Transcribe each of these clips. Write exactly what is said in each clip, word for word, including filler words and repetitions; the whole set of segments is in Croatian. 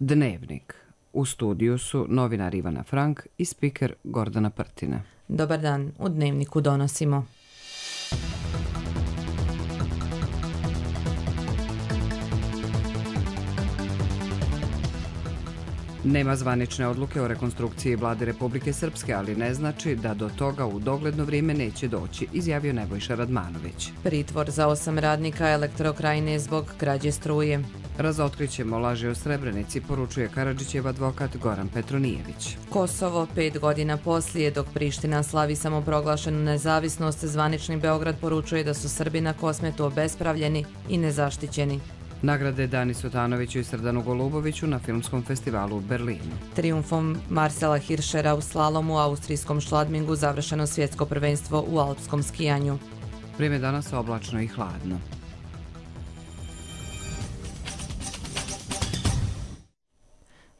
Dnevnik. U studiju su novinar Ivana Frank i spiker Gordana Prtina. Dobar dan, u Dnevniku donosimo. Nema zvanične odluke o rekonstrukciji vlade Republike Srpske, ali ne znači da do toga u dogledno vrijeme neće doći, izjavio Nebojša Radmanović. Pritvor za osam radnika Elektrokrajine zbog krađe struje. Razotkrićemo laži o Srebrenici, poručuje Karadžićev advokat Goran Petronijević. Kosovo pet godina poslije, dok Priština slavi samoproglašenu nezavisnost, zvanični Beograd poručuje da su Srbi na Kosmetu obespravljeni i nezaštićeni. Nagrade Dani Sutanoviću i Srdanu Goluboviću na filmskom festivalu u Berlinu. Trijumfom Marcela Hirschera u slalomu u austrijskom Šladmingu završeno svjetsko prvenstvo u alpskom skijanju. Vrijeme danas oblačno i hladno.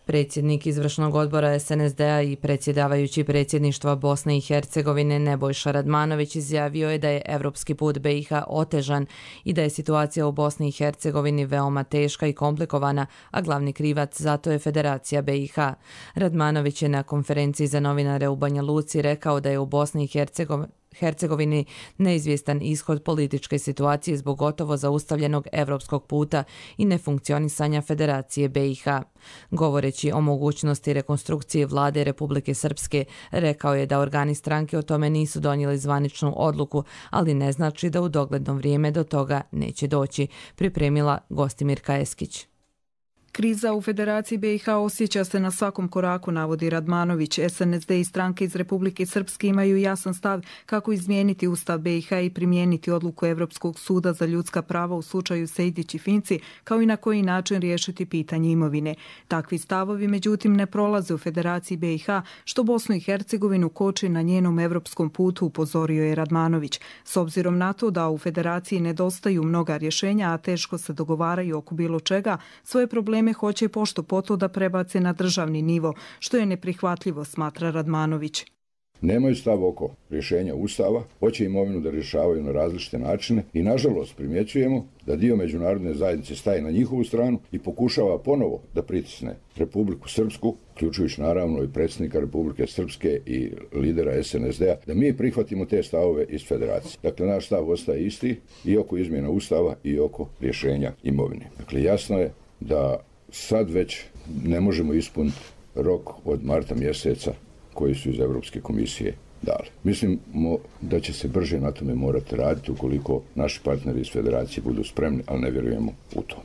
Predsjednik izvršnog odbora S N S D-a i predsjedavajući predsjedništva Bosne i Hercegovine Nebojša Radmanović izjavio je da je evropski put B i H otežan i da je situacija u Bosni i Hercegovini veoma teška i komplikovana, a glavni krivac zato je Federacija B i H. Radmanović je na konferenciji za novinare u Banja Luci rekao da je u Bosni i Hercegovini Hercegovini neizvjestan ishod političke situacije zbog gotovo zaustavljenog evropskog puta i nefunkcionisanja Federacije B i H. Govoreći o mogućnosti rekonstrukcije vlade Republike Srpske, rekao je da organi stranke o tome nisu donijeli zvaničnu odluku, ali ne znači da u dogledno vrijeme do toga neće doći, pripremila Gostimirka Eskić. Kriza u Federaciji B i H osjeća se na svakom koraku, navodi Radmanović. S N S D i stranke iz Republike Srpske imaju jasan stav kako izmijeniti Ustav B i H i primijeniti odluku Evropskog suda za ljudska prava u slučaju Sejdić i Finci, kao i na koji način riješiti pitanje imovine. Takvi stavovi, međutim, ne prolaze u Federaciji B i H, što Bosnu i Hercegovinu koči na njenom evropskom putu, upozorio je Radmanović. S obzirom na to da u Federaciji nedostaju mnoga rješenja, a teško se dogovaraju oko bilo čega, svoje probleme hoće pošto poto da prebace na državni nivo, što je neprihvatljivo, smatra Radmanović. Nemaju stav oko rješenja Ustava, hoće imovinu da rješavaju na različite načine i nažalost primjećujemo da dio međunarodne zajednice staje na njihovu stranu i pokušava ponovo da pritisne Republiku Srpsku, uključujući naravno i predsjednika Republike Srpske i lidera S N S D-a, da mi prihvatimo te stavove iz Federacije. Dakle, naš stav ostaje isti i oko izmjena Ustava i oko rješenja imovine. Dakle, jasno je da sad već ne možemo ispuniti rok od marta mjeseca koji su iz Europske komisije dali. Mislimo da će se brže na tome morati raditi ukoliko naši partneri iz Federacije budu spremni, ali ne vjerujemo u to.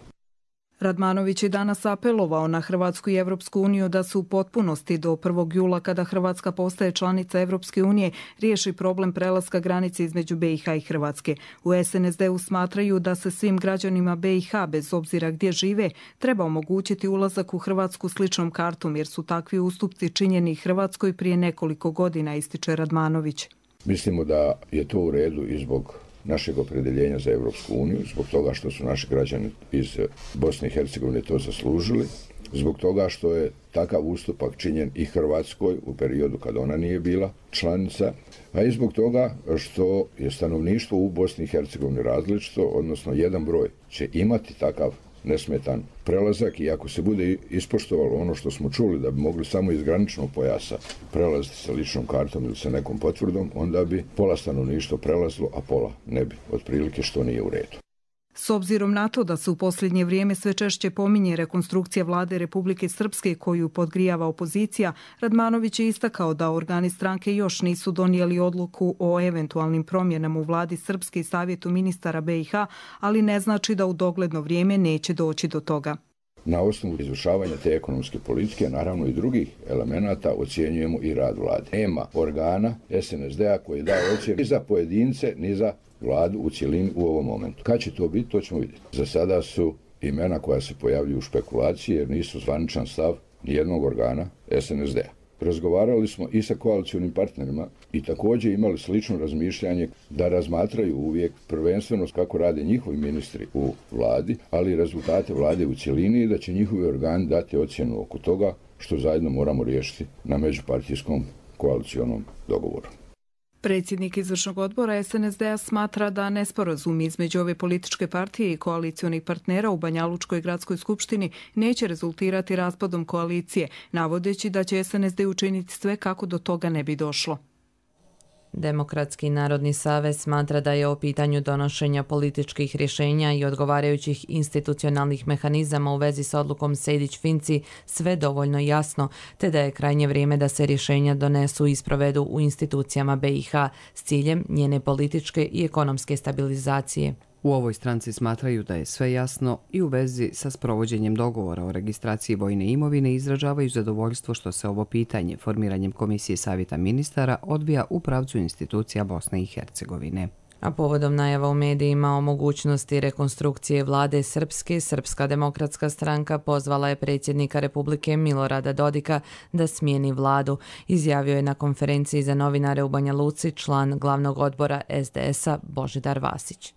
Radmanović je danas apelovao na Hrvatsku i Evropsku uniju da se u potpunosti do prvog jula, kada Hrvatska postaje članica Evropske unije, riješi problem prelaska granice između B i H i Hrvatske. U S N S D-u smatraju da se svim građanima B i H, bez obzira gdje žive, treba omogućiti ulazak u Hrvatsku sličnom kartom, jer su takvi ustupci činjeni Hrvatskoj prije nekoliko godina, ističe Radmanović. Mislimo da je to u redu i zbog našeg opredjeljenja za Evropsku uniju, zbog toga što su naši građani iz Bosne i Hercegovine to zaslužili, zbog toga što je takav ustupak činjen i Hrvatskoj u periodu kad ona nije bila članica, a i zbog toga što je stanovništvo u Bosni i Hercegovini različito, odnosno jedan broj će imati takav nesmetan prelazak i ako se bude ispoštovalo ono što smo čuli da bi mogli samo iz graničnog pojasa prelaziti sa ličnom kartom ili sa nekom potvrdom, onda bi pola stanovništva prelazilo, a pola ne bi, otprilike, što nije u redu. S obzirom na to da se u posljednje vrijeme sve češće pominje rekonstrukcija vlade Republike Srpske koju podgrijava opozicija, Radmanović je istakao da organi stranke još nisu donijeli odluku o eventualnim promjenama u vladi Srpske i savjetu ministara B i H, ali ne znači da u dogledno vrijeme neće doći do toga. Na osnovu izvršavanja te ekonomske politike, naravno i drugih elemenata, ocjenjujemo i rad vlade. Nema organa S N S D-a koji daje ocjenu ni za pojedince, ni za vladu u cjelini u ovom momentu. Kad će to biti, to ćemo vidjeti. Za sada su imena koja se pojavljuju u špekulaciji jer nisu zvaničan stav nijednog organa S N S D-a. Razgovarali smo i sa koalicionim partnerima i također imali slično razmišljanje da razmatraju uvijek prvenstveno kako rade njihovi ministri u vladi, ali i rezultate vlade u cjelini i da će njihovi organi dati ocjenu oko toga što zajedno moramo riješiti na međupartijskom koalicionom dogovoru. Predsjednik izvršnog odbora S N S D-a smatra da nesporazum između ove političke partije i koalicionih partnera u Banjalučkoj gradskoj skupštini neće rezultirati raspadom koalicije, navodeći da će S N S D učiniti sve kako do toga ne bi došlo. Demokratski narodni savez smatra da je o pitanju donošenja političkih rješenja i odgovarajućih institucionalnih mehanizama u vezi s odlukom Sejdić-Finci sve dovoljno jasno, te da je krajnje vrijeme da se rješenja donesu i sprovedu u institucijama B i H s ciljem njene političke i ekonomske stabilizacije. U ovoj stranci smatraju da je sve jasno i u vezi sa sprovođenjem dogovora o registraciji vojne imovine izražavaju zadovoljstvo što se ovo pitanje formiranjem Komisije savjeta ministara odvija u pravcu institucija Bosne i Hercegovine. A povodom najava u medijima o mogućnosti rekonstrukcije vlade Srpske, Srpska demokratska stranka pozvala je predsjednika Republike Milorada Dodika da smijeni vladu, izjavio je na konferenciji za novinare u Banja Luci član glavnog odbora S D S-a Božidar Vasić.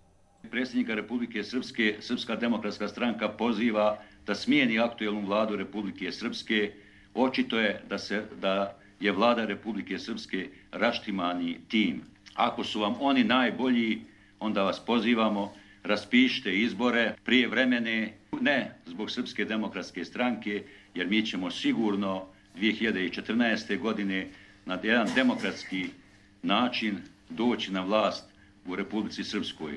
Predsjednika Republike Srpske, Srpska demokratska stranka poziva da smijeni aktuelnu vladu Republike Srpske. Očito je da, se, da je vlada Republike Srpske raštimani tim. Ako su vam oni najbolji, onda vas pozivamo, raspišite izbore prije vremene, ne zbog Srpske demokratske stranke, jer mi ćemo sigurno dvije hiljade četrnaeste. godine na jedan demokratski način doći na vlast u Republici Srpskoj.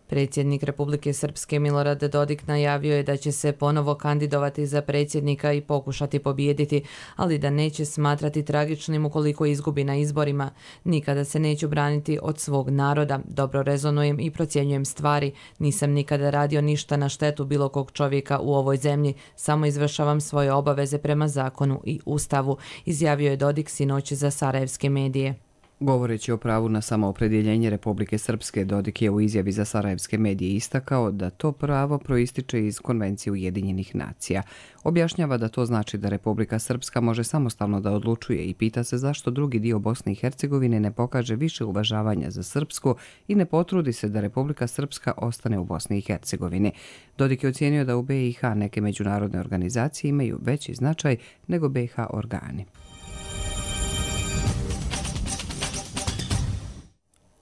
Predsjednik Republike Srpske Milorad Dodik najavio je da će se ponovo kandidovati za predsjednika i pokušati pobijediti, ali da neće smatrati tragičnim ukoliko izgubi na izborima. Nikada se neću braniti od svog naroda, dobro rezonujem i procjenjujem stvari, nisam nikada radio ništa na štetu bilo kog čovjeka u ovoj zemlji, samo izvršavam svoje obaveze prema zakonu i ustavu, izjavio je Dodik sinoć za sarajevske medije. Govoreći o pravu na samoopredjeljenje Republike Srpske, Dodik je u izjavi za sarajevske medije istakao da to pravo proističe iz Konvencije Ujedinjenih nacija. Objašnjava da to znači da Republika Srpska može samostalno da odlučuje i pita se zašto drugi dio Bosne i Hercegovine ne pokaže više uvažavanja za Srpsku i ne potrudi se da Republika Srpska ostane u Bosni i Hercegovini. Dodik je ocijenio da u B i H neke međunarodne organizacije imaju veći značaj nego B i H organi.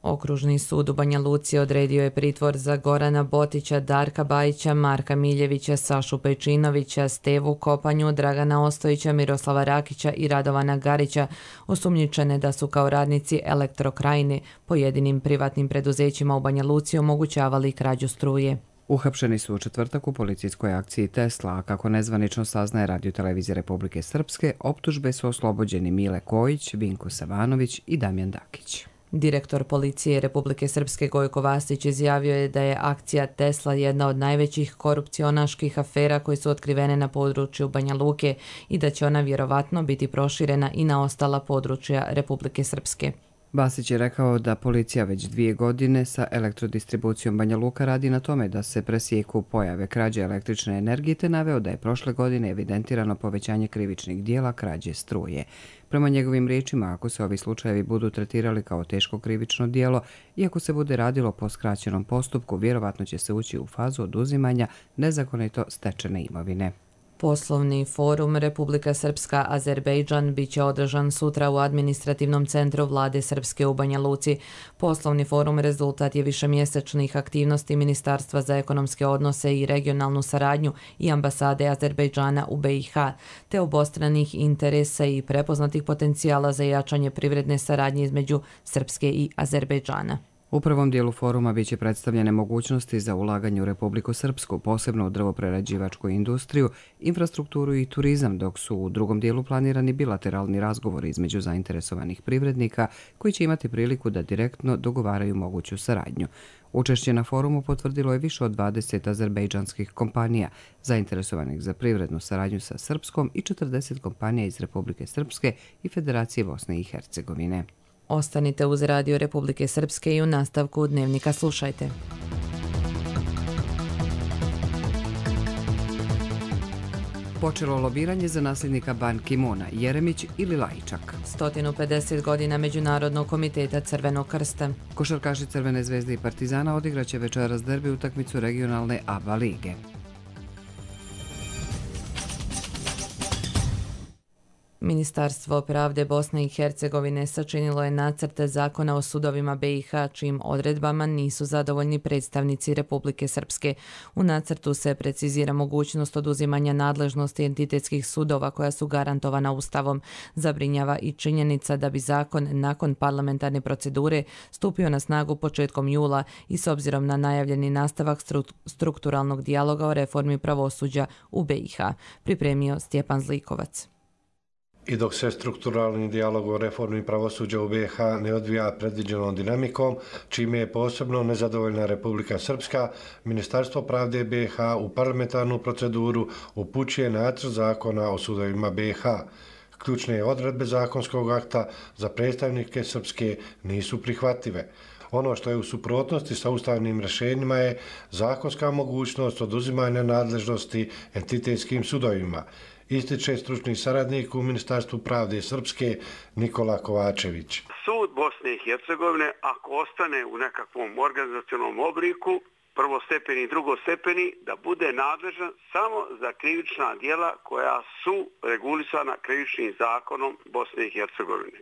Okružni sud u Banja Luci odredio je pritvor za Gorana Botića, Darka Bajića, Marka Miljevića, Sašu Pejčinovića, Stevu Kopanju, Dragana Ostojića, Miroslava Rakića i Radovana Garića, osumnjičene da su kao radnici Elektrokrajine pojedinim privatnim preduzećima u Banja Luci omogućavali krađu struje. Uhapšeni su u četvrtak u policijskoj akciji Tesla, a kako nezvanično saznaje Radio-televizija Republike Srpske, optužbe su oslobođeni Mile Kojić, Vinko Savanović i Damjan Dakić. Direktor policije Republike Srpske Gojko Vasić izjavio je da je akcija Tesla jedna od najvećih korupcionaških afera koje su otkrivene na području Banja Luke i da će ona vjerovatno biti proširena i na ostala područja Republike Srpske. Vasić je rekao da policija već dvije godine sa elektrodistribucijom Banja Luka radi na tome da se presjeku pojave krađe električne energije, te naveo da je prošle godine evidentirano povećanje krivičnih dijela krađe struje. Prema njegovim riječima, ako se ovi slučajevi budu tretirali kao teško krivično dijelo i ako se bude radilo po skraćenom postupku, vjerovatno će se ući u fazu oduzimanja nezakonito stečene imovine. Poslovni forum Republika Srpska Azerbejdžan bit će održan sutra u administrativnom centru vlade Srpske u Banja Luci. Poslovni forum rezultat je višemjesečnih aktivnosti Ministarstva za ekonomske odnose i regionalnu saradnju i ambasade Azerbejdžana u B i H, te obostranih interesa i prepoznatih potencijala za jačanje privredne saradnje između Srpske i Azerbejdžana. U prvom dijelu foruma biće predstavljene mogućnosti za ulaganje u Republiku Srpsku, posebno u drvoprerađivačku industriju, infrastrukturu i turizam, dok su u drugom dijelu planirani bilateralni razgovori između zainteresovanih privrednika koji će imati priliku da direktno dogovaraju moguću saradnju. Učešće na forumu potvrdilo je više od dvadeset azerbejdžanskih kompanija zainteresovanih za privrednu saradnju sa Srpskom i četrdeset kompanija iz Republike Srpske i Federacije Bosne i Hercegovine. Ostanite uz Radio Republike Srpske i u nastavku Dnevnika slušajte. Počelo lobiranje za nasljednika Ban Ki-moona, Jeremić ili Lajčak. sto pedeset godina Međunarodnog komiteta Crvenog krsta. Košarkaši Crvene zvezde i Partizana odigraće večeras derbi utakmicu regionalne A B A lige. Ministarstvo pravde Bosne i Hercegovine sačinilo je nacrte zakona o sudovima B i H, čijim odredbama nisu zadovoljni predstavnici Republike Srpske. U nacrtu se precizira mogućnost oduzimanja nadležnosti entitetskih sudova koja su garantovana Ustavom. Zabrinjava i činjenica da bi zakon nakon parlamentarne procedure stupio na snagu početkom jula i s obzirom na najavljeni nastavak stru- strukturalnog dijaloga o reformi pravosuđa u B i H. Pripremio Stjepan Zlikovac. I dok se strukturalni dijalog o reformi pravosuđa u B i H ne odvija predviđenom dinamikom, čime je posebno nezadovoljna Republika Srpska, Ministarstvo pravde B i H u parlamentarnu proceduru upućuje nacrt zakona o sudovima B i H. Ključne odredbe zakonskog akta za predstavnike Srpske nisu prihvatljive. Ono što je u suprotnosti sa ustavnim rješenjima je zakonska mogućnost oduzimanja nadležnosti entitetskim sudovima, ističe stručni saradnik u Ministarstvu pravde Srpske Nikola Kovačević. Sud Bosne i Hercegovine, ako ostane u nekakvom organizacionalnom obliku, prvostepeni i drugostepeni, da bude nadležan samo za krivična djela koja su regulisana krivičnim zakonom Bosne i Hercegovine.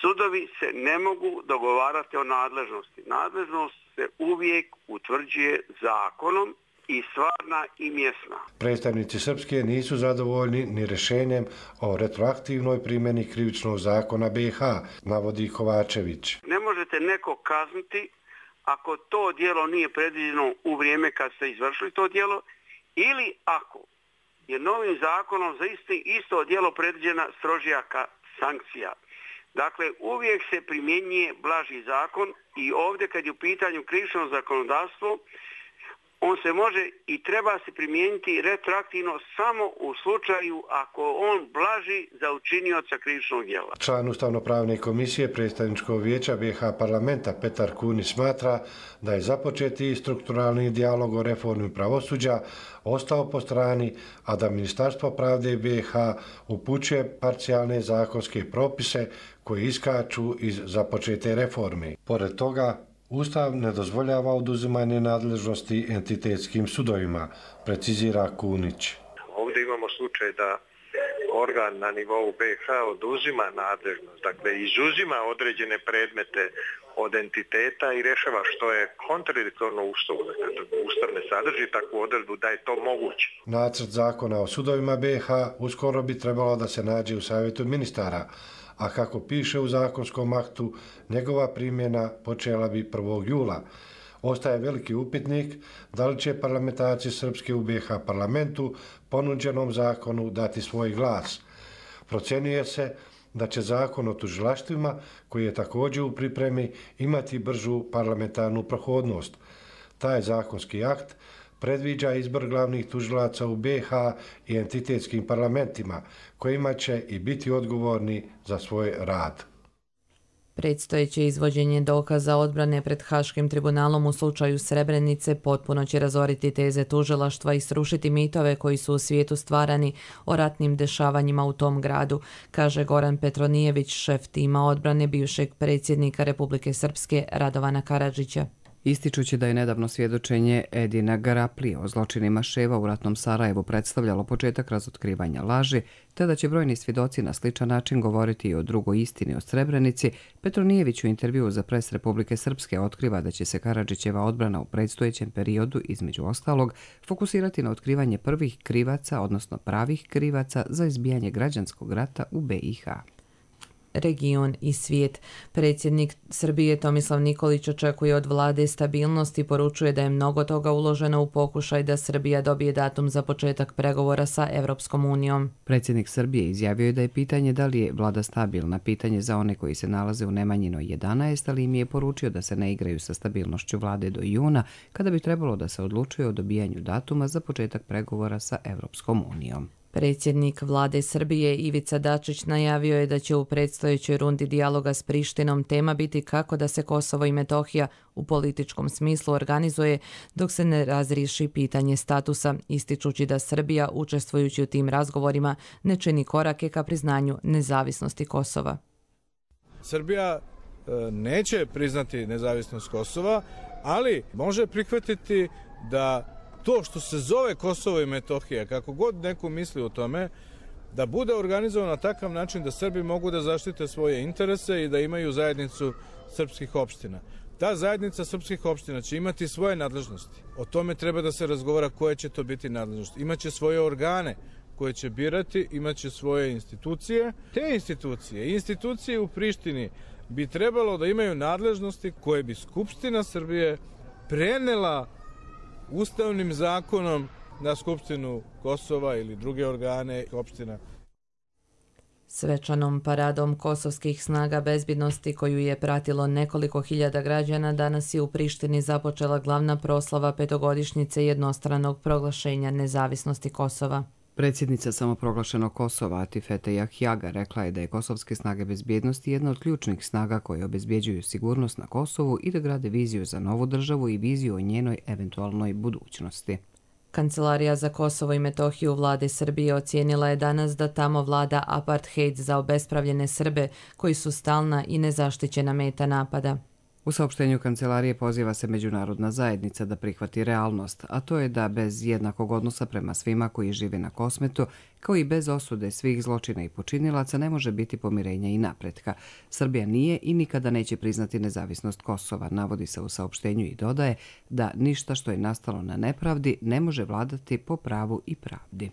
Sudovi se ne mogu dogovarati o nadležnosti. Nadležnost se uvijek utvrđuje zakonom i stvarna i mjesna. Predstavnici Srpske nisu zadovoljni ni rješenjem o retroaktivnoj primjeni krivičnog zakona B i H, navodi Kovačević. Ne možete neko kazniti ako to djelo nije predviđeno u vrijeme kad ste izvršili to djelo ili ako je novim zakonom za isti, isto djelo predviđena strožija sankcija. Dakle, uvijek se primjenjuje blaži zakon i ovdje kad je u pitanju krivično zakonodavstvo, on se može i treba se primijeniti retroaktivno samo u slučaju ako on blaži za učinioca krivičnog djela. Član Ustavno-pravne komisije predstavničkog vijeća B i H parlamenta Petar Kunić smatra da je započeti strukturalni dijalog o reformi pravosuđa ostao po strani, a da Ministarstvo pravde B i H upućuje parcijalne zakonske propise koji iskaču iz započete reforme. Pored toga, Ustav ne dozvoljava oduzimanje nadležnosti entitetskim sudovima, precizira Kunić. Ovdje imamo slučaj da organ na nivou B i H oduzima nadležnost, dakle izuzima određene predmete od entiteta i rješava, što je kontradiktorno Ustavu. Ustav ne sadrži takvu odredbu da je to moguće. Nacrt zakona o sudovima B i H uskoro bi trebalo da se nađe u savjetu ministara, a kako piše u zakonskom aktu, njegova primjena počela bi prvog jula. Ostaje veliki upitnik da li će parlamentarci Srpske u B i H parlamentu ponuđenom zakonu dati svoj glas. Procjenjuje se da će zakon o tužilaštvima, koji je također u pripremi, imati bržu parlamentarnu prohodnost. Taj zakonski akt predviđa izbor glavnih tužilaca u B i H i entitetskim parlamentima, kojima će i biti odgovorni za svoj rad. Predstojeće izvođenje dokaza odbrane pred Haškim tribunalom u slučaju Srebrenice potpuno će razoriti teze tužilaštva i srušiti mitove koji su u svijetu stvarani o ratnim dešavanjima u tom gradu, kaže Goran Petronijević, šef tima odbrane bivšeg predsjednika Republike Srpske Radovana Karadžića. Ističući da je nedavno svjedočenje Edina Garaplije o zločinima Ševa u ratnom Sarajevu predstavljalo početak razotkrivanja laži, te da će brojni svjedoci na sličan način govoriti i o drugoj istini o Srebrenici, Petronijević u intervjuu za Pres Republike Srpske otkriva da će se Karadžićeva odbrana u predstojećem periodu, između ostalog, fokusirati na otkrivanje prvih krivaca, odnosno pravih krivaca za izbijanje građanskog rata u B i H. Region i svijet. Predsjednik Srbije Tomislav Nikolić očekuje od vlade stabilnost i poručuje da je mnogo toga uloženo u pokušaj da Srbija dobije datum za početak pregovora sa Evropskom unijom. Predsjednik Srbije izjavio je da je pitanje da li je vlada stabilna pitanje za one koji se nalaze u Nemanjinoj jedanaest, ali im je poručio da se ne igraju sa stabilnošću vlade do juna, kada bi trebalo da se odlučuje o dobijanju datuma za početak pregovora sa Evropskom unijom. Predsjednik vlade Srbije Ivica Dačić najavio je da će u predstojećoj rundi dijaloga s Prištinom tema biti kako da se Kosovo i Metohija u političkom smislu organizuje dok se ne razriješi pitanje statusa, ističući da Srbija, učestvujući u tim razgovorima, ne čini korake ka priznanju nezavisnosti Kosova. Srbija neće priznati nezavisnost Kosova, ali može prihvatiti da to što se zove Kosovo i Metohija, kako god neko misli o tome, da bude organizovan na takav način da Srbi mogu da zaštite svoje interese i da imaju zajednicu srpskih opština. Ta zajednica srpskih opština će imati svoje nadležnosti. O tome treba da se razgovara koje će to biti nadležnosti. Imaće svoje organe koje će birati, imaće svoje institucije. Te institucije, institucije u Prištini bi trebalo da imaju nadležnosti koje bi Skupština Srbije prenela ustavnim zakonom na Skupštinu Kosova ili druge organe opština. Svečanom paradom kosovskih snaga bezbjednosti koju je pratilo nekoliko hiljada građana danas je u Prištini započela glavna proslava petogodišnjice jednostranog proglašenja nezavisnosti Kosova. Predsjednica samoproglašenog Kosova Atifete Jahjaga rekla je da je kosovske snage bezbjednosti jedna od ključnih snaga koje obezbjeđuju sigurnost na Kosovu i da grade viziju za novu državu i viziju o njenoj eventualnoj budućnosti. Kancelarija za Kosovo i Metohiju vlade Srbije ocijenila je danas da tamo vlada apartheid za obespravljene Srbe koji su stalna i nezaštićena meta napada. U saopštenju kancelarije poziva se međunarodna zajednica da prihvati realnost, a to je da bez jednakog odnosa prema svima koji žive na Kosmetu, kao i bez osude svih zločina i počinilaca, ne može biti pomirenja i napretka. Srbija nije i nikada neće priznati nezavisnost Kosova, navodi se u saopštenju i dodaje da ništa što je nastalo na nepravdi ne može vladati po pravu i pravdi.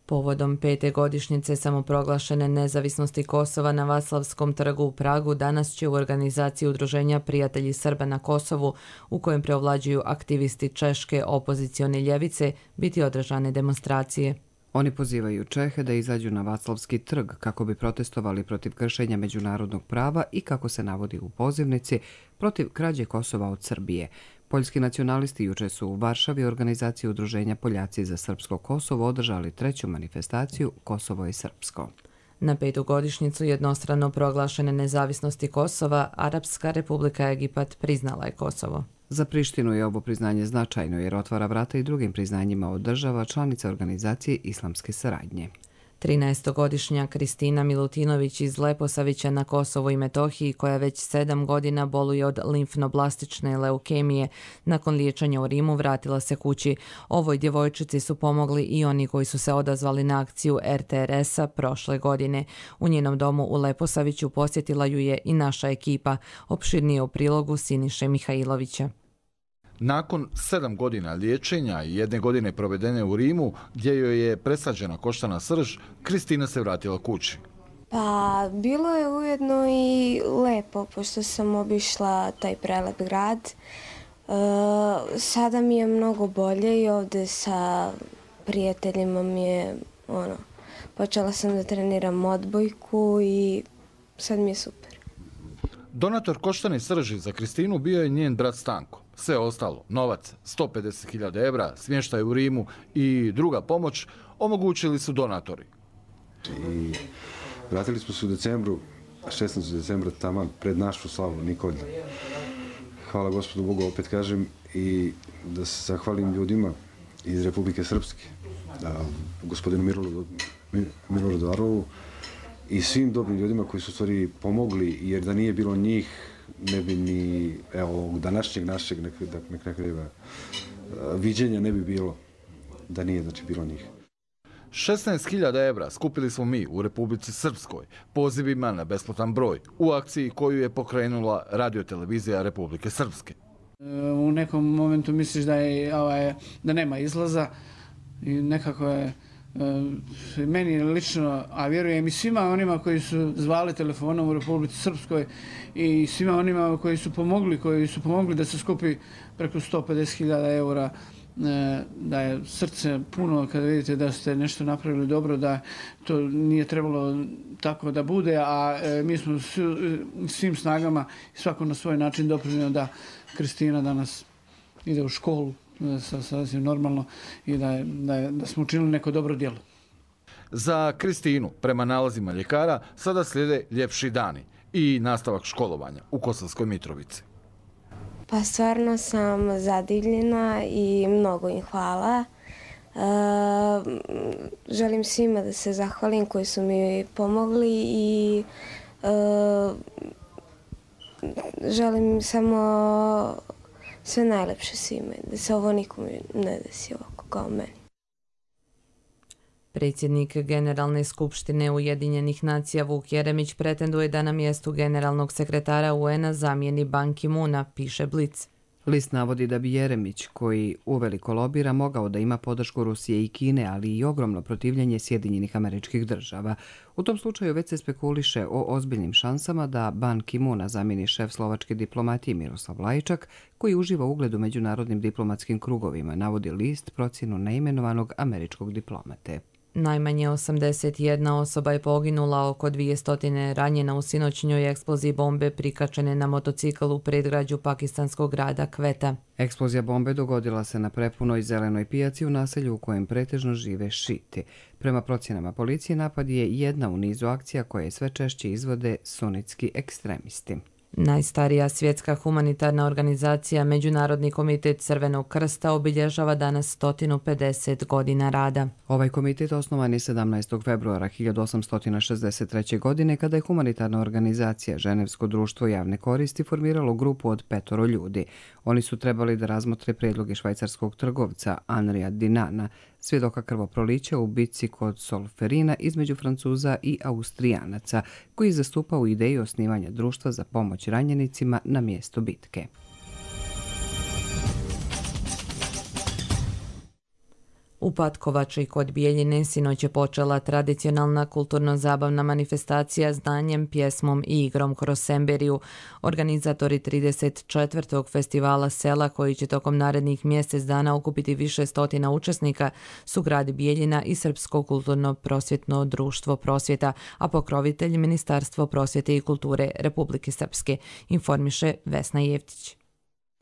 Povodom pete godišnjice samoproglašene nezavisnosti Kosova na Vaclavskom trgu u Pragu danas će u organizaciji Udruženja Prijatelji Srba na Kosovu, u kojem preovlađuju aktivisti češke opozicione ljevice, biti održane demonstracije. Oni pozivaju Čehe da izađu na Vaclavski trg kako bi protestovali protiv kršenja međunarodnog prava i, kako se navodi u pozivnici, protiv krađe Kosova od Srbije. Poljski nacionalisti juče su u Varšavi organizaciji Udruženja Poljaci za srpsko Kosovo održali treću manifestaciju Kosovo je srpsko. Na petu godišnjicu jednostrano proglašene nezavisnosti Kosova, Arapska Republika Egipat priznala je Kosovo. Za Prištinu je ovo priznanje značajno jer otvara vrata i drugim priznanjima od država članica organizacije islamske saradnje. trinaestogodišnja Kristina Milutinović iz Leposavića na Kosovu i Metohiji, koja već sedam godina boluje od limfnoblastične leukemije, nakon liječenja u Rimu vratila se kući. Ovoj djevojčici su pomogli i oni koji su se odazvali na akciju er te er es-a prošle godine. U njenom domu u Leposaviću posjetila ju je i naša ekipa, opširnije u prilogu Siniše Mihajlovića. Nakon sedam godina liječenja i jedne godine provedene u Rimu, gdje joj je presađena koštana srž, Kristina se vratila kući. Pa, bilo je ujedno i lepo, pošto sam obišla taj prelep grad. E, sada mi je mnogo bolje i ovdje sa prijateljima mi je, ono, počela sam da treniram odbojku i sad mi je super. Donator koštane srži za Kristinu bio je njen brat Stanko. Sve ostalo, novac, sto pedeset hiljada evra, smještaj u Rimu i druga pomoć omogućili su donatori. I vratili smo se u decembru, šesnaestog decembra, taman pred našu slavu Nikolja. Hvala Gospodu Bogu, opet kažem, i da se zahvalim ljudima iz Republike Srpske, da, gospodinu Miloradu, Miloradu Arlovu i svim dobrim ljudima koji su u stvari pomogli, jer da nije bilo njih, ne bi ni, evo, ovog današnjeg našeg nekakvega viđenja ne bi bilo, da nije, znači, bilo njih. šesnaest hiljada evra skupili smo mi u Republici Srpskoj pozivima na besplatan broj u akciji koju je pokrenula radiotelevizija Republike Srpske. U nekom momentu misliš da, je, ovaj, da nema izlaza i nekako je meni lično, a vjerujem i svima onima koji su zvali telefonom u Republici Srpskoj i svima onima koji su pomogli, koji su pomogli da se skupi preko sto pedeset hiljada eura, da je srce puno kada vidite da ste nešto napravili dobro, da to nije trebalo tako da bude, a mi smo svim snagama i svako na svoj način doprinio da Kristina danas ide u školu sasvim normalno i da, je, da, je, da smo učinili neko dobro djelo. Za Kristinu, prema nalazima ljekara, sada slijede ljepši dani i nastavak školovanja u Kosovskoj Mitrovici. Pa stvarno sam zadivljena i mnogo im hvala. E, želim svima da se zahvalim koji su mi pomogli i e, želim samo sve najlepše svima, da se ovo nikome ne desi ovako kao meni. Predsjednik Generalne skupštine Ujedinjenih nacija Vuk Jeremić pretenduje da na mjestu generalnog sekretara U N-a zamijeni Ban Ki-moona, piše Blic. List navodi da bi Jeremić, koji uveliko lobira, mogao da ima podršku Rusije i Kine, ali i ogromno protivljenje Sjedinjenih Američkih Država. U tom slučaju već se spekuliše o ozbiljnim šansama da Ban Ki-moona zamijeni šef slovačke diplomatije Miroslav Lajčak, koji uživa ugled u međunarodnim diplomatskim krugovima, navodi list procjenu neimenovanog američkog diplomate. Najmanje osamdeset jedna osoba je poginula, oko dvjesto ranjena u sinoćnjoj eksploziji bombe prikačene na motocikl u predgrađu pakistanskog grada Kveta. Eksplozija bombe dogodila se na prepunoj zelenoj pijaci u naselju u kojem pretežno žive šiti. Prema procjenama policije, napad je jedna u nizu akcija koje sve češće izvode sunitski ekstremisti. Najstarija svjetska humanitarna organizacija, Međunarodni komitet Crvenog krsta, obilježava danas sto pedeset godina rada. Ovaj komitet osnovan je sedamnaestog februara hiljadu osamsto šezdeset treće. godine kada je humanitarna organizacija Ženevsko društvo javne koristi formiralo grupu od petoro ljudi. Oni su trebali da razmotre predloge švajcarskog trgovca Anrija Dinana, svjedoka krvoprolića u bitci kod Solferina između Francuza i Austrijanaca, koji je zastupao ideju osnivanja društva za pomoć ranjenicima na mjestu bitke. U Patkovači kod Bijeljine sinoć je počela tradicionalna kulturno-zabavna manifestacija znanjem, pjesmom i igrom kroz Semberiju. Organizatori trideset četvrtog festivala sela, koji će tokom narednih mjesec dana okupiti više stotina učesnika, su grad Bijeljina i Srpsko kulturno-prosvjetno društvo Prosvjeta, a pokrovitelj Ministarstvo prosvjete i kulture Republike Srpske, informiše Vesna Jeftić.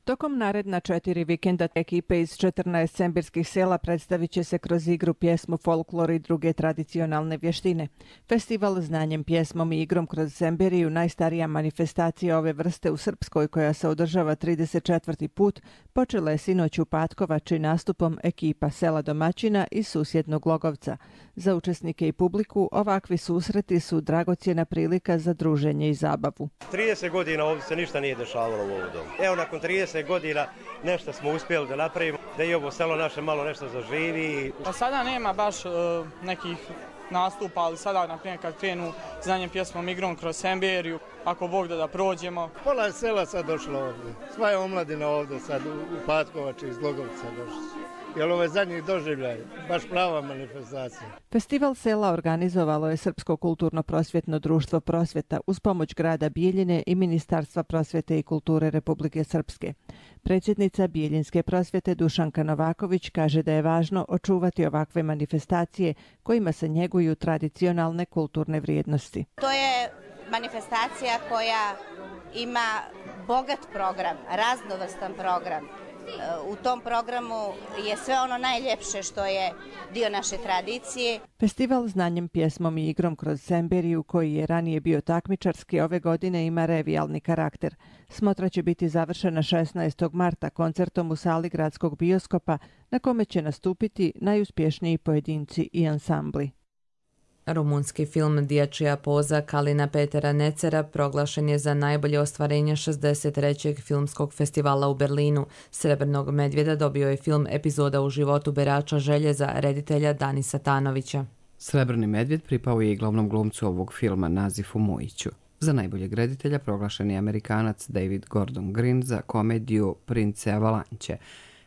Tokom naredna četiri vikenda ekipe iz četrnaest sembirskih sela predstavit će se kroz igru, pjesmu, folklor i druge tradicionalne vještine. Festival znanjem, pjesmom i igrom kroz Semberiju, najstarija manifestacija ove vrste u Srpskoj, koja se održava trideset četvrti put, počela je sinoć u Patkovači nastupom ekipa sela domaćina iz susjednog Glogovca. Za učesnike i publiku ovakvi susreti su dragocjena prilika za druženje i zabavu. trideset godina ovdje se ništa nije dešavalo u ovom domu. Evo, nakon trideset godina nešto smo uspjeli da napravimo, da i ovo selo naše malo nešto zaživi. Pa sada nema baš uh, nekih nastupa, ali sada, na primjer, kad krenu znanjem, pjesmom, igrom kroz Semberiju, ako Bog da da prođemo. Pola je sela sad došlo ovdje. Sva je omladina ovdje sad u, u Patkovači iz Glogovca došli. Jer ovo je zadnji doživljaj, baš prava manifestacija. Festival sela organizovalo je Srpsko kulturno-prosvjetno društvo Prosvjeta uz pomoć grada Bijeljine i Ministarstva prosvjete i kulture Republike Srpske. Predsjednica Bijeljinske prosvjete Dušanka Novaković kaže da je važno očuvati ovakve manifestacije kojima se njeguju tradicionalne kulturne vrijednosti. To je manifestacija koja ima bogat program, raznovrstan program. U tom programu je sve ono najljepše što je dio naše tradicije. Festival znanjem, pjesmom i igrom kroz Semberiju, koji je ranije bio takmičarski, ove godine ima revijalni karakter. Smotra će biti završena šesnaestog marta koncertom u sali gradskog bioskopa, na kome će nastupiti najuspješniji pojedinci i ansambli. Rumunski film Dječja poza Kalina Petera Necera proglašen je za najbolje ostvarenje šezdeset trećeg filmskog festivala u Berlinu. Srebrnog medvjeda dobio je film Epizoda u životu berača željeza reditelja Danisa Tanovića. Srebrni medvjed pripao je i glavnom glumcu ovog filma Nazifu Mujiću. Za najboljeg reditelja proglašen je Amerikanac David Gordon Green za komediju Prince Avalanche.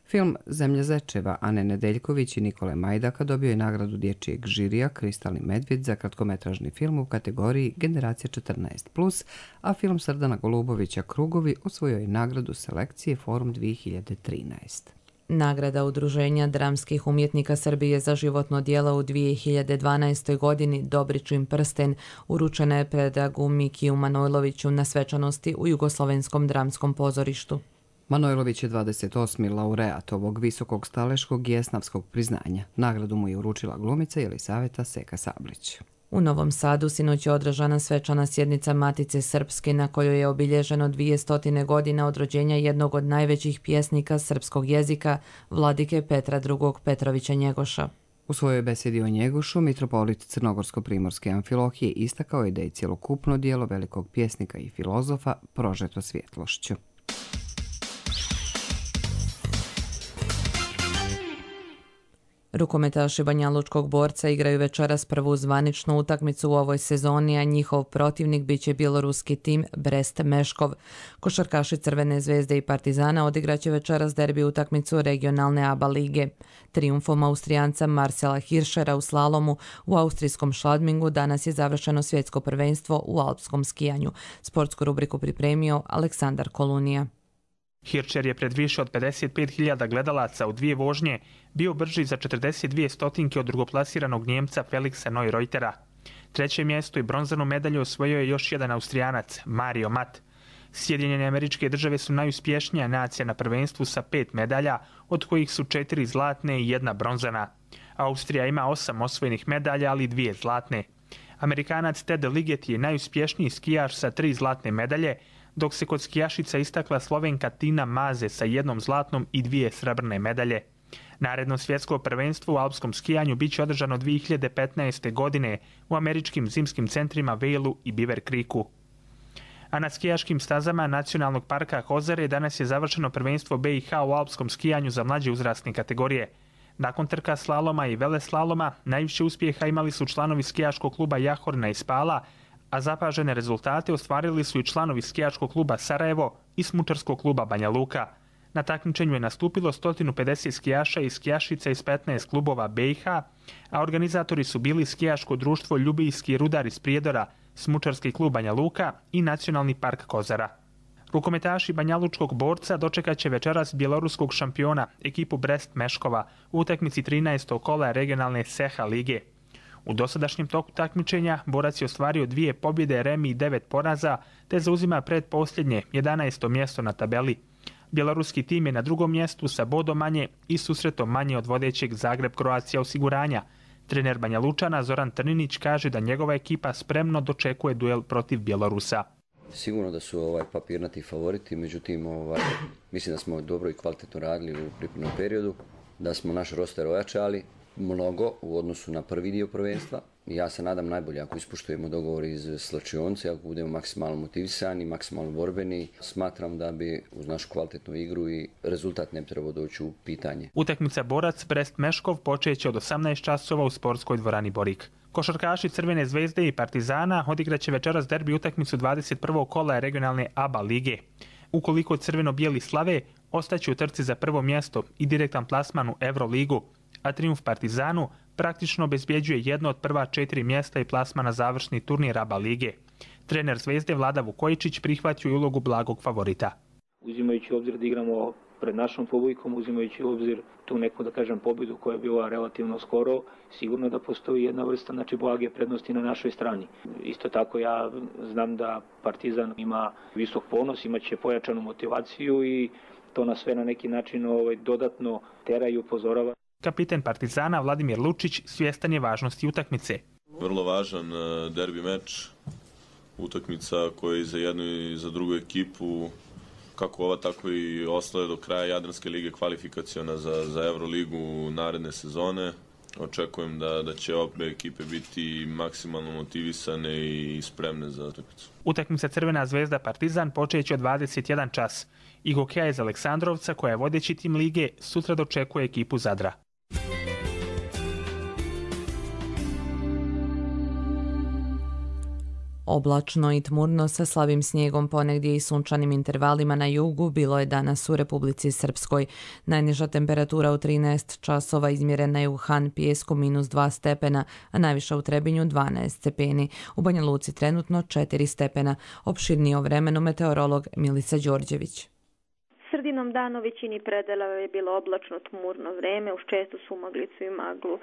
Film Zemlja zečeva Ane Nedeljković i Nikole Majdaka dobio je nagradu dječjeg žirija Kristalni medvjed za kratkometražni film u kategoriji Generacija četrnaest plus, a film Srdana Golubovića Krugovi osvojio je nagradu selekcije Forum dvije hiljade trinaest. Nagrada Udruženja dramskih umjetnika Srbije za životno djelo u dvije hiljade dvanaestoj. godini Dobričin prsten uručena je predragu Mikiju Manojloviću na svečanosti u Jugoslovenskom dramskom pozorištu. Manojlović je dvadeset osmi laureat ovog visokog staleškog i esnavskog priznanja. Nagradu mu je uručila glumica Jelisaveta Seka Sablić. U Novom Sadu sinoć je održana svečana sjednica Matice Srpske, na kojoj je obilježeno dvjesto godina od rođenja jednog od najvećih pjesnika srpskog jezika, vladike Petra drugog Petrovića Njegoša. U svojoj besedi o Njegošu, mitropolit Crnogorsko-primorske Amfilohije istakao je da je cjelokupno djelo velikog pjesnika i filozofa prožeto svjetlošću. Rukometaši Banjalučkog Borca igraju večeras prvu zvaničnu utakmicu u ovoj sezoni, a njihov protivnik biće bjeloruski tim Brest Meškov. Košarkaši Crvene zvezde i Partizana odigraće večeras derbi utakmicu regionalne A B A lige. Trijumfom Austrijanca Marcela Hirschera u slalomu u austrijskom Schladmingu danas je završeno svjetsko prvenstvo u alpskom skijanju. Sportsku rubriku pripremio Aleksandar Kolunija. Hirscher je pred više od pedeset pet hiljada gledalaca u dvije vožnje bio brži za četrdeset dvije stotinke od drugoplasiranog Njemca Felixa Neureutera. Treće mjesto i bronzanu medalju osvojio je još jedan Austrijanac, Mario Matt. Sjedinjene Američke Države su najuspješnija nacija na prvenstvu sa pet medalja, od kojih su četiri zlatne i jedna bronzana. Austrija ima osam osvojenih medalja, ali dvije zlatne. Amerikanac Ted Liget je najuspješniji skijaš sa tri zlatne medalje, dok se kod skijašica istakla Slovenka Tina Maze sa jednom zlatnom i dvije srebrne medalje. Naredno svjetsko prvenstvo u alpskom skijanju bit će održano dvije hiljade petnaeste. godine u američkim zimskim centrima Vailu i Beaver Creeku. A na skijaškim stazama Nacionalnog parka Hozare danas je završeno prvenstvo B i H u alpskom skijanju za mlađe uzrasne kategorije. Nakon trka slaloma i veleslaloma, najviše uspjeha imali su članovi skijaškog kluba Jahorna i Spala, a zapažene rezultate ostvarili su i članovi skijaškog kluba Sarajevo i smučarskog kluba Banja Luka. Na takmičenju je nastupilo sto pedeset skijaša i skijašica iz petnaest klubova B i H, a organizatori su bili skijaško društvo Ljubijski rudar iz Prijedora, smučarski klub Banja Luka i Nacionalni park Kozara. Rukometaši Banjalučkog Borca dočekat će večeras bjeloruskog šampiona, ekipu Brest Meškova, u utakmici trinaestog kola regionalne S E H A lige. U dosadašnjem toku takmičenja Borac je ostvario dvije pobjede, remi i devet poraza, te zauzima predposljednje jedanaesto mjesto na tabeli. Bjeloruski tim je na drugom mjestu sa bodom manje i susretom manje od vodećeg Zagreb Croatia osiguranja. Trener Banja Lučana Zoran Trninić kaže da njegova ekipa spremno dočekuje duel protiv Bjelorusa. Sigurno da su ovaj papirnati favoriti, međutim ovaj, mislim da smo dobro i kvalitetno radili u pripremnom periodu, da smo naš roster ojačali mnogo u odnosu na prvi dio prvenstva. Ja se nadam najbolje ako ispuštujemo dogovor iz slačionce, ako budemo maksimalno motivisani, maksimalno borbeni. Smatram da bi uz našu kvalitetnu igru i rezultat ne bi trebao doći u pitanje. Utakmica Borac Brest Meškov počeće od osamnaest časova u sportskoj dvorani Borik. Košarkaši Crvene zvezde i Partizana odigraće večeras derbi utakmicu dvadeset prvog kola regionalne A B A lige. Ukoliko crveno-bijeli slave, ostaće u trci za prvo mjesto i direktan plasman u Euroligu, a trijumf Partizanu praktično obezbjeđuje jedno od prva četiri mjesta i plasma na završni turnir A B A lige. Trener Zvezde Vlada Vukojičić prihvatio je ulogu blagog favorita. Uzimajući u obzir da igramo pred našom publikom, uzimajući u obzir tu neku, da kažem, pobjedu koja je bila relativno skoro, sigurno da postoji jedna vrsta, znači, blage prednosti na našoj strani. Isto tako ja znam da Partizan ima visok ponos, imaće pojačanu motivaciju i to nas sve na neki način ovaj, dodatno tera i upozorava. Kapiten Partizana Vladimir Lučić svjestan je važnosti utakmice. Vrlo važan derbi meč, utakmica koja je za jednu i za drugu ekipu, kako ova tako i ostale do kraja Jadranske lige kvalifikaciona za, za Euroligu naredne sezone. Očekujem da, da će obe ekipe biti maksimalno motivisane i spremne za utakmicu. Utakmica Crvena zvezda Partizan počeće od dvadeset jedan čas. I hokeja iz Aleksandrovca, koja je vodeći tim lige, sutra dočekuje ekipu Zadra. Oblačno i tmurno sa slabim snijegom, ponegdje i sunčanim intervalima na jugu bilo je danas u Republici Srpskoj. Najniža temperatura u trinaest časova izmjerena je u Han Pijesku minus dva stepena, a najviša u Trebinju dvanaest stepeni. U Banja Luci trenutno četiri stepena. Opširnije o vremenu meteorolog Milica Đorđević. Sredinom dana u većini predela je bilo oblačno tmurno vreme, uz čestu sumaglicu i maglu.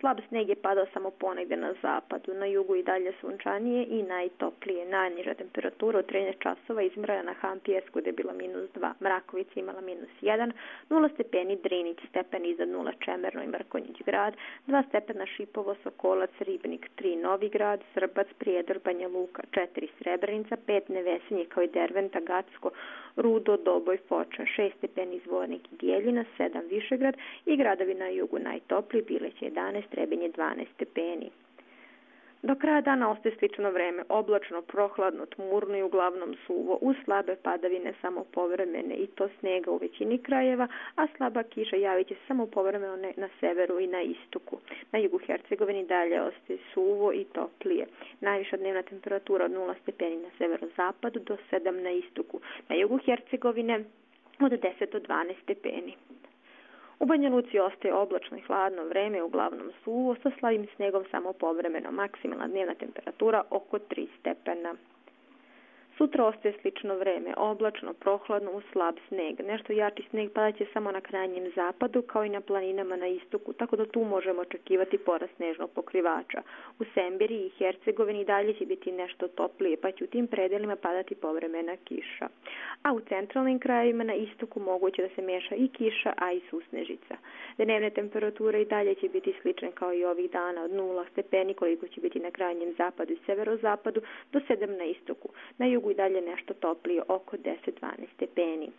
Slab sneg je padao samo ponegdje na zapadu, na jugu i dalje sunčanije i najtoplije. Najniža temperatura u trinaest časova izmjerena na Han Pijesku gdje je bila minus dva, Mrakovica imala minus jedan, nula stepeni Drinić, stepen iznad nula Čemerno i Mrkonjić grad, dva stepena Šipovo, Sokolac, Ribnik, tri Novigrad, Srbac, Prijedor, Banja Luka, četiri Srebrenica, pet Nevesinje kao i Derventa, Gacko, Rudo, Doboj, Foča, šest stepeni Zvornik i Dijeljina, sedam Višegrad i gradovi na jugu najtopliji, Bileć jedanaest, Trebinje dvanaest stepeni. Do kraja dana ostaje slično vreme, oblačno, prohladno, tmurno i uglavnom suvo, uz slabe padavine samo povremene i to snega u većini krajeva, a slaba kiša javit će se samo povremeno na severu i na istoku. Na jugu Hercegovini dalje ostaje suvo i toplije. Najviša dnevna temperatura od nula stepeni na severozapadu do sedam na istoku. Na jugu Hercegovine od deset do dvanaest stepeni. U Banja Luci ostaje oblačno i hladno vreme, uglavnom suvo, sa slabim snegom samo povremeno. Maksimalna dnevna temperatura oko tri stepena. Sutra ostaje slično vreme, oblačno, prohladno uz slab sneg. Nešto jači sneg padat će samo na krajnjem zapadu, kao i na planinama na istoku, tako da tu možemo očekivati porast snežnog pokrivača. U Semberiji i Hercegovini dalje će biti nešto toplije, pa će u tim predelima padati povremena kiša. A u centralnim krajevima na istoku moguće da se meša i kiša, a i susnežica. Dnevne temperature i dalje će biti slične kao i ovih dana, od nula stepeni koliko će biti na krajnjem zapadu i severozapadu do sedam na istoku. Na jugu i dalje nešto toplije, oko deset do dvanaest stepeni.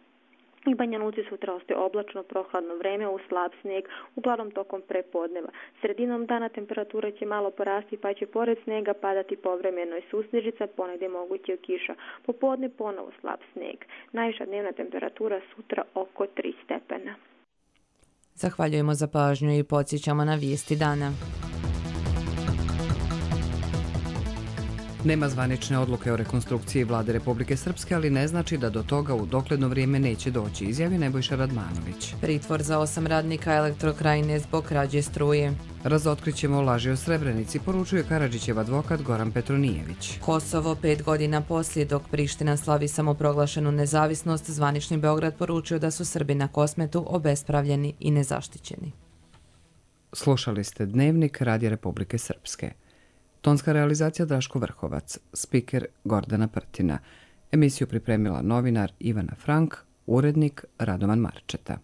I Banja Luci sutra ostaje oblačno, prohladno vreme uz slab sneg, uglavnom tokom prepodneva. Sredinom dana temperatura će malo porasti, pa će pored snega padati povremeno i susnežica, ponegdje moguće kiša. Popodne ponovo slab sneg. Najviša dnevna temperatura sutra oko tri stepena. Zahvaljujemo za pažnju i podsjećamo na vijesti dana. Nema zvanične odluke o rekonstrukciji vlade Republike Srpske, ali ne znači da do toga u dogledno vrijeme neće doći, izjavi Nebojša Radmanović. Pritvor za osam radnika Elektrokrajine zbog krađe struje. Razotkrićemo laži o Srebrenici, poručuje Karadžićev advokat Goran Petronijević. Kosovo pet godina poslije, dok Priština slavi samoproglašenu nezavisnost, zvanični Beograd poručio da su Srbi na Kosmetu obespravljeni i nezaštićeni. Slušali ste Dnevnik Radija Republike Srpske. Tonska realizacija Draško Vrhovac, spiker Gordana Prtina. Emisiju pripremila novinar Ivana Frank, urednik Radovan Marčeta.